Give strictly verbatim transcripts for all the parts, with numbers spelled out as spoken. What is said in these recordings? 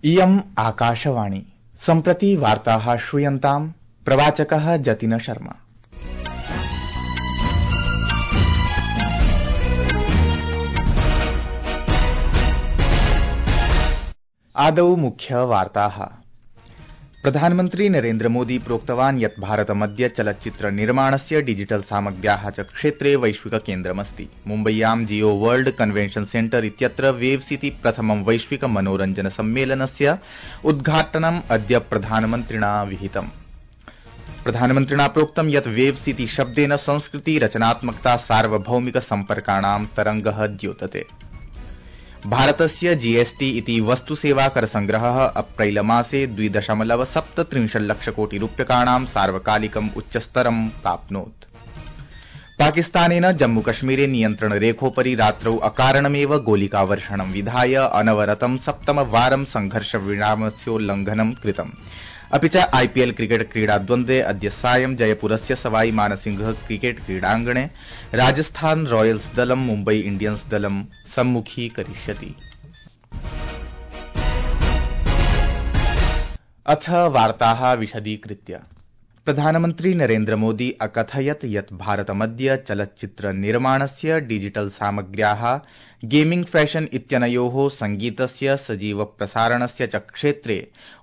इयम् आकाशवाणी सम्प्रति वार्ताः श्रूयन्ताम् प्रवाचकः जतिन शर्मा। आदौ मुख्य वार्ताः। प्रधानमन्त्री नरेन्द्र मोदी प्रोक्तवान् यत् भारतमद्य चलच्चित्र निर्माणस्य डिजिटल सामग्र्याः च क्षेत्रे वैश्विक केन्द्रमस्ति। मुम्बय्यां जियो वर्ल्ड कन्वेन्शन सेन्टर इत्यत्र वेव्स इति प्रथमं वैश्विक मनोरञ्जन सम्मेलनस्य उद्घाटनम् अद्य प्रधानमन्त्रिणा विहितम्। प्रधानमन्त्रिणा प्रोक्तं यत् वेव्स इति शब्देन संस्कृति रचनात्मकता सार्वभौमिक सम्पर्काणां तरंगः द्योतते। भारतस्य जीएसटी इति वस्तुसेवा कर संग्रहः अप्रैल मासे द्वि दशमलव सप्तत्रिंशल्लक्ष कोटि रूप्यकाणां सार्वकालिकम् उच्चस्तरं प्राप्नोत्। पाकिस्तानेन जम्मूकश्मीरे नियन्त्रणरेखोपरि रात्रौ अकारणमेव गोलिकावर्षणं विधाय अनवरतं सप्तमवारं संघर्षविरामस्योल्लंघनं कृतम्। अपि च आईपीएल क्रिकेट क्रीडाद्वन्द्वे अद्य सायं जयपुरस्य सवाई मानसिंह क्रिकेट क्रीडाङ्गणे राजस्थान रॉयल्स दलं मुम्बई इंडियन्स दलं सम्मुखीकरिष्यति। अथ वार्ताः विशदीकृत्य। प्रधानमन्त्री नरेन्द्र मोदी अकथयत् यत् भारतमद्य चलच्चित्र निर्माणस्य डिजिटल सामग्र्याः गेमिंग फैशन इत्यनयोः संगीतस्य सजीव प्रसारणस्य च क्षेत्रे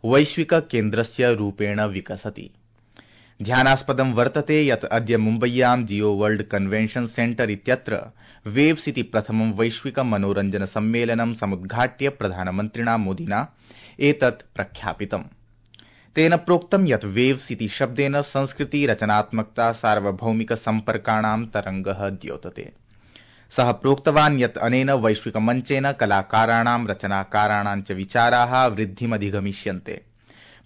वैश्विक केन्द्रस्य रूपेण विकसति। ध्यानास्पदं वर्तते यत् अद्य मुम्बय्यां जियो वर्ल्ड कन्वेन्शन सेन्टर इत्यत्र वेव्स इति प्रथमं वैश्विक मनोरञ्जन सम्मेलनं समुद्घाट्य प्रधानमन्त्रिणा मोदिना एतत् प्रख्यापितम्। तेन प्रोक्तं यत् वेव्स इति शब्देन संस्कृति रचनात्मकता सार्वभौमिक सम्पर्काणां तरंगः द्योतते। सः प्रोक्तवान् यत् अनेन वैश्विक मञ्चेन कलाकाराणां रचनाकाराणां च विचाराः वृद्धिमधिगमिष्यन्ते।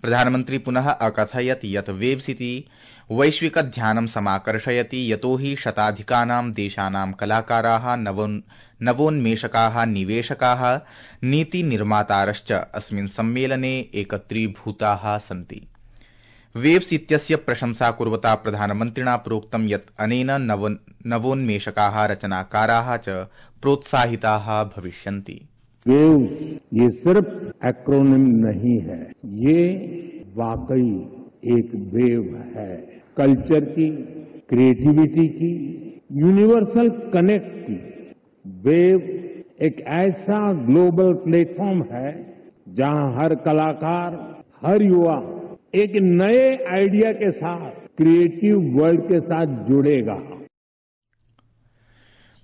प्रधानमन्त्री पुनः अकथयत् यत् वेव्स इति वैश्विक ध्यानं समाकर्षयति यतोहि शताधिकानां देशानां कलाकाराः नवोन्मेषकाः निवेशकाः नीतिनिर्मातारश्च अस्मिन् सम्मेलने एकत्रीभूताः सन्ति। वेव्स इत्यस्य प्रशंसा कुर्वता प्रधानमन्त्रिणा प्रोक्तं यत् अनेन नवोन्मेषकाः रचनाकाराः च प्रोत्साहिताः भविष्यन्ति। वेव्स ये सिर्फ एक्रोनिम नहीं है, ये वाकई एक वेव है। कल्चर की, क्रिएटिविटी की, यूनिवर्सल कनेक्ट की। वेव एक ऐसा ग्लोबल प्लेटफॉर्म है जहां हर कलाकार, हर युवा एक नए आइडिया के साथ क्रिएटिव वर्ल्ड के साथ जुड़ेगा।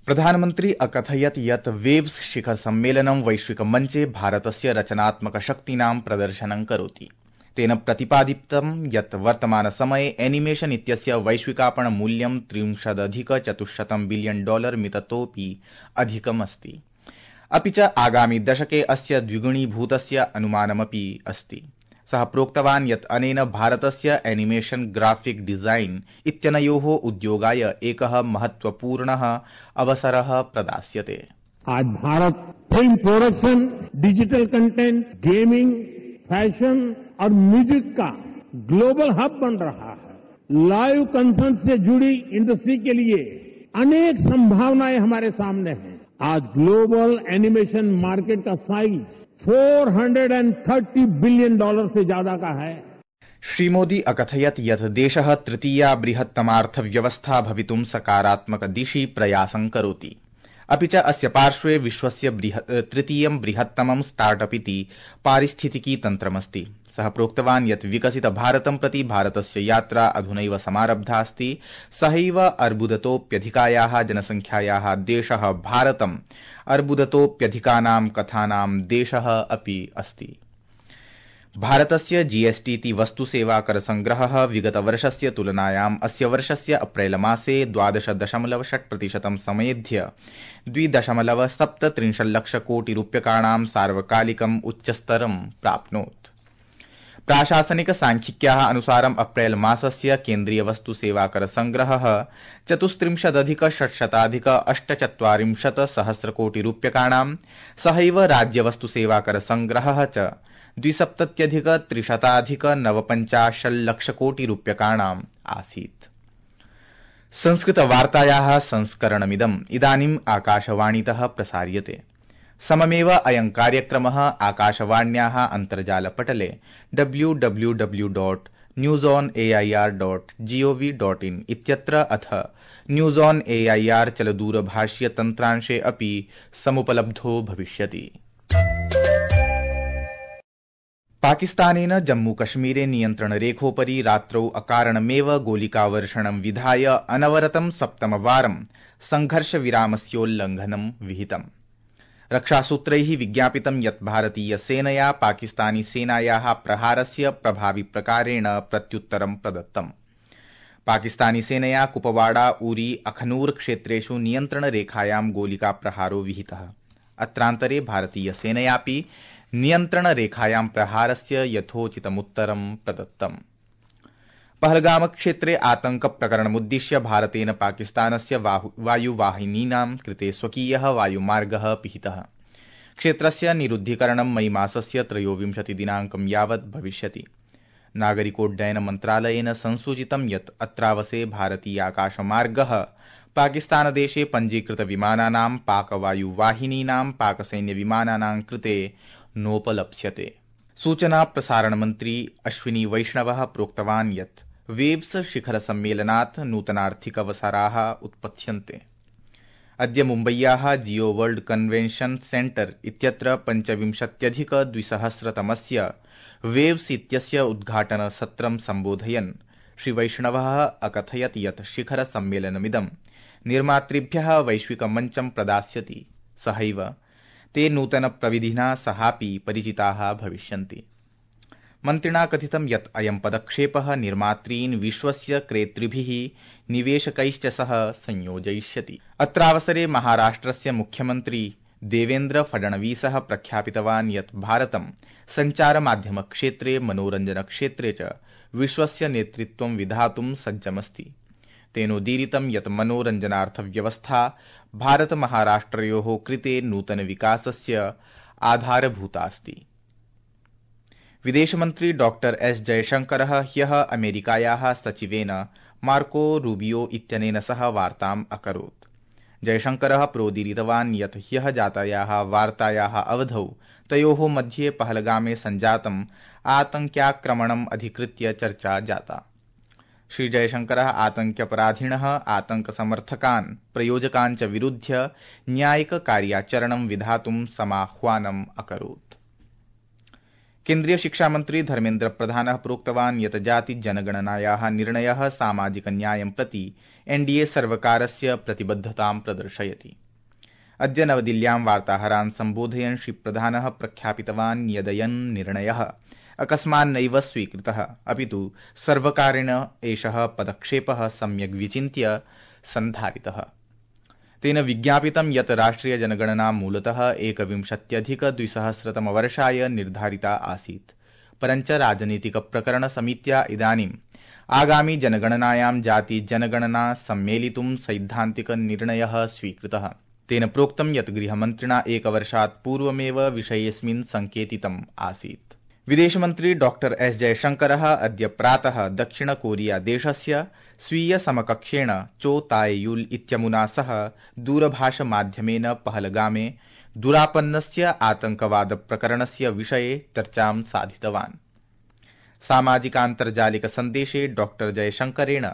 प्रधानमन्त्री अकथयत् यत् वेव्स शिखर सम्मेलनं वैश्विक मञ्चे भारतस्य रचनात्मक शक्तीनां प्रदर्शनं करोति। तेन प्रतिपादितं यत् वर्तमान समये एनिमेशन इत्यस्य वैश्विकापण मूल्यं त्रिंशदधिक चतुश्शतं बिलियन डॉलर मिततोऽपि अधिकमस्ति। अपि च आगामि दशके अस्य द्विगुणीभूतस्य अनुमानमपि अस्ति। सः प्रोक्तवान् यत् अनेन भारतस्य एनिमेशन ग्राफिक डिजाइन इत्यनयोः उद्योगाय एकः महत्वपूर्णः अवसरः प्रदास्यते। आज Bharata film production, digital content, gaming, fashion और म्यूजिक का ग्लोबल हब बन रहा है। लाइव कंसर्ट से जुड़ी इंडस्ट्री के लिए अनेक संभावनाएं हमारे सामने हैं। आज ग्लोबल एनिमेशन मार्केट का साइज चार सौ तीस बिलियन डॉलर से ज्यादा का है। श्री मोदी अकथयत् यत् देशः तृतीया बृहत्तमार्थव्यवस्था भवितुं सकारात्मक दिशि प्रयासं करोति। अपि च अस्य पार्श्वे विश्वस्य तृतीयं बृहत्तमं स्टार्टअप इति पारिस्थितिकी तन्त्रमस्ति। सः प्रोक्तवान् यत् विकसित भारतं प्रति भारतस्य यात्रा अधुनैव समारब्धा अस्ति। सहैव अर्बुदतोऽप्यधिकायाः जनसंख्यायाः देशः भारतम् अर्बुदतोऽप्यधिकानां कथानां देशः अपि अस्ति। भारतस्य जीएसटी इति वस्तुसेवा कर संग्रहः विगतवर्षस्य तुलनायाम् अस्य वर्षस्य अप्रैल मासे द्वादश दशमलव षट् प्रतिशतं समेध्य द्वि दशमलव सप्तत्रिंशल्लक्ष कोटि रूप्यकाणां सार्वकालिकम् उच्चस्तरं प्राप्नोत्। प्राशासनिक सांख्यिक्याः अनुसारम् अप्रैल मासस्य केन्द्रीय वस्तुसेवा कर संग्रहः चतुस्त्रिंशदधिक षट्शताधिक अष्टचत्वारिंशत् सहस्र कोटि रूप्यकाणां, सहैव राज्य वस्तुसेवा कर संग्रहः च द्विसप्तत्यधिक त्रिशताधिक नवपञ्चाशल्लक्ष कोटि रूप्यकाणाम् आसीत्। संस्कृत वार्तायाः संस्करणमिदम् इदानीम् आकाशवाणीतः प्रसार्यते। सममेव अयं कार्यक्रमः आकाशवाण्याः अन्तर्जालपटले W W W dot news on A I R dot G O V dot in इत्यत्र अथ न्यूज ऑन एआईआर चलदूरभाष्य तन्त्रांशे अपि समुपलब्धो भविष्यति। पाकिस्तानेन जम्मूकश्मीरे नियन्त्रणरेखोपरि रात्रौ अकारणमेव गोलिकावर्षणं विधाय अनवरतं सप्तमवारं संघर्षविरामस्योल्लंघनं विहितम्। रक्षासूत्रैः विज्ञापितं यत् भारतीयसेनया पाकिस्तानीसेनायाः प्रहारस्य प्रभाविप्रकारेण प्रत्युत्तरं प्रदत्तम्। पाकिस्तानीसेनया कुपवाड़ा उरी अखनूर क्षेत्रेषु नियन्त्रणरेखायां गोलिकाप्रहारो विहितः। अत्रान्तरे भारतीयसेनयापि नियन्त्रणरेखायां प्रहारस्य यथोचितमुत्तरं प्रदत्तम्। पहलगामक्षेत्रे आतंकप्रकरणमुद्दिश्य भारतेन पाकिस्तानस्य वायुवाहिनीनां कृते स्वकीयः वायुमार्गः पिहितः। क्षेत्रस्य निरुद्धीकरणं मई मासस्य त्रयोविंशति दिनाङ्कं यावत् भविष्यति। नागरिकोड्डयन मन्त्रालयेन संसूचितं यत् अत्रावसे भारतीयाकाशमार्गः पाकिस्तानदेशे पञ्जीकृतविमानानां पाकवायुवाहिनीनां पाकसैन्यविमानानां कृते नोपलप्स्यते। सूचना प्रसारणमन्त्री अश्विनी वैष्णवः प्रोक्तवान् यत् वेव्स शिखरसम्मेलनात् नूतनार्थिकावसराः उत्पत्स्यन्ते। अद्य मुम्बय्याः जियो वर्ल्ड कन्वेन्शन सेंटर इत्यत्र पञ्चविंशत्यधिक द्विसहस्रतमस्य वेव्स इत्यस्य उद्घाटनसत्रं सम्बोधयन् श्रीवैष्णवः अकथयत् यत् शिखरसम्मेलनमिदं निर्मातृभ्यः वैश्विकमञ्चं प्रदास्यति। सहैव ते नूतनप्रविधिना सहापि परिचिताः भविष्यन्ति। मन्त्रिणा कथितं यत् अयं पदक्षेपः निर्मातॄन् विश्वस्य क्रेतृभिः निवेशकैश्च सह संयोजयिष्यति। अत्रावसरे महाराष्ट्रस्य मुख्यमन्त्री देवेन्द्र फडणवीसः प्रख्यापितवान् यत् भारतं सञ्चारमाध्यमक्षेत्रे मनोरञ्जनक्षेत्रे च विश्वस्य नेतृत्वं विधातुं सज्जमस्ति। तेनोदीरितं यत् मनोरञ्जनार्थव्यवस्था भारतमहाराष्ट्रयोः कृते नूतनविकासस्य आधारभूतास्ति। विदेशमन्त्री डॉक्टर एस जयशंकरः ह्यः अमेरिकायाः सचिवेन मार्को रूबियो इत्यनेन सह वार्ताम् अकरोत्। जयशंकरः प्रोदीरितवान् यत् ह्यः जातायाः वार्तायाः अवधौ तयोः मध्ये पहलगामे सञ्जातम् आतङ्क्याक्रमणम् अधिकृत्य चर्चा जाता। श्री जयशंकरः आतङ्क्यपराधिनः आतङ्कसमर्थकान् प्रयोजकान् च विरुध्य न्यायिककार्याचरणं विधातुं समाह्वानम् अकरोत्। केन्द्रीय शिक्षामन्त्री धर्मेन्द्र प्रधानः प्रोक्तवान् यत् जातिजनगणनायाः निर्णयः सामाजिकन्यायं प्रति एनडीए सर्वकारस्य प्रतिबद्धतां प्रदर्शयति। अद्य नवदिल्ल्यां वार्ताहरान् सम्बोधयन् श्री प्रधानः प्रख्यापितवान् यदयं निर्णयः अकस्मान्नैव स्वीकृतः, अपितु सर्वकारेण एषः पदक्षेपः सम्यग् विचिन्त्य सन्धारितः। तेन विज्ञापितं यत् राष्ट्रियजनगणना मूलतः एकविंशत्यधिक द्विसहस्रतमवर्षाय निर्धारिता आसीत्, परञ्च राजनीतिकप्रकरणसमित्या इदानीम् आगामि जनगणनायां जातिजनगणना सम्मेलितुं सैद्धान्तिकनिर्णयः स्वीकृतः। तेन प्रोक्तं यत् गृहमन्त्रिणा एकवर्षात् पूर्वमेव विषयेऽस्मिन् सङ्केतितम् आसीत्। विदेशमन्त्री डॉक्टर एस जयशंकरः अद्य प्रातः दक्षिण कोरिया देशस्य स्वीय समकक्षेण चो ताए युल इत्यमुना सह दूरभाषमाध्यमेन पहलगामे दुरापन्नस्य आतंकवादप्रकरणस्य विषये चर्चां साधितवान्। सामाजिकान्तर्जालिक सन्देशे डॉक्टर जयशंकरेण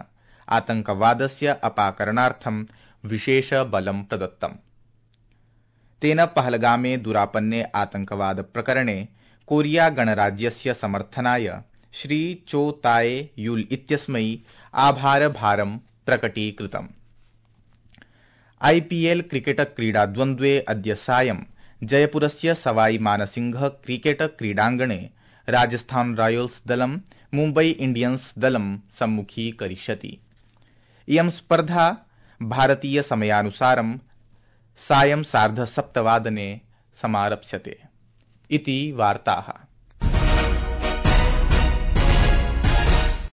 आतंकवादस्य अपाकरणार्थं विशेष बलं प्रदत्तम्। तेन पहलगामे दुरापन्ने आतंकवाद प्रकरणे कोरिया गणराज्यस्य समर्थनाय श्री चो ताए युल इत्यस्मै आभारभारं प्रकटीकृतम्। आईपीएल क्रिकेट क्रीडाद्वन्द्वे अद्य सायं जयपुरस्य सवाई मानसिंह क्रिकेट क्रीडाङ्गणे राजस्थान रॉयल्स दलं मुम्बई इंडियन्स दलं सम्मुखीकरिष्यति। इयं स्पर्धा भारतीय समयानुसारं सायं सार्धसप्तवादने समारप्स्यते इति वार्ताः।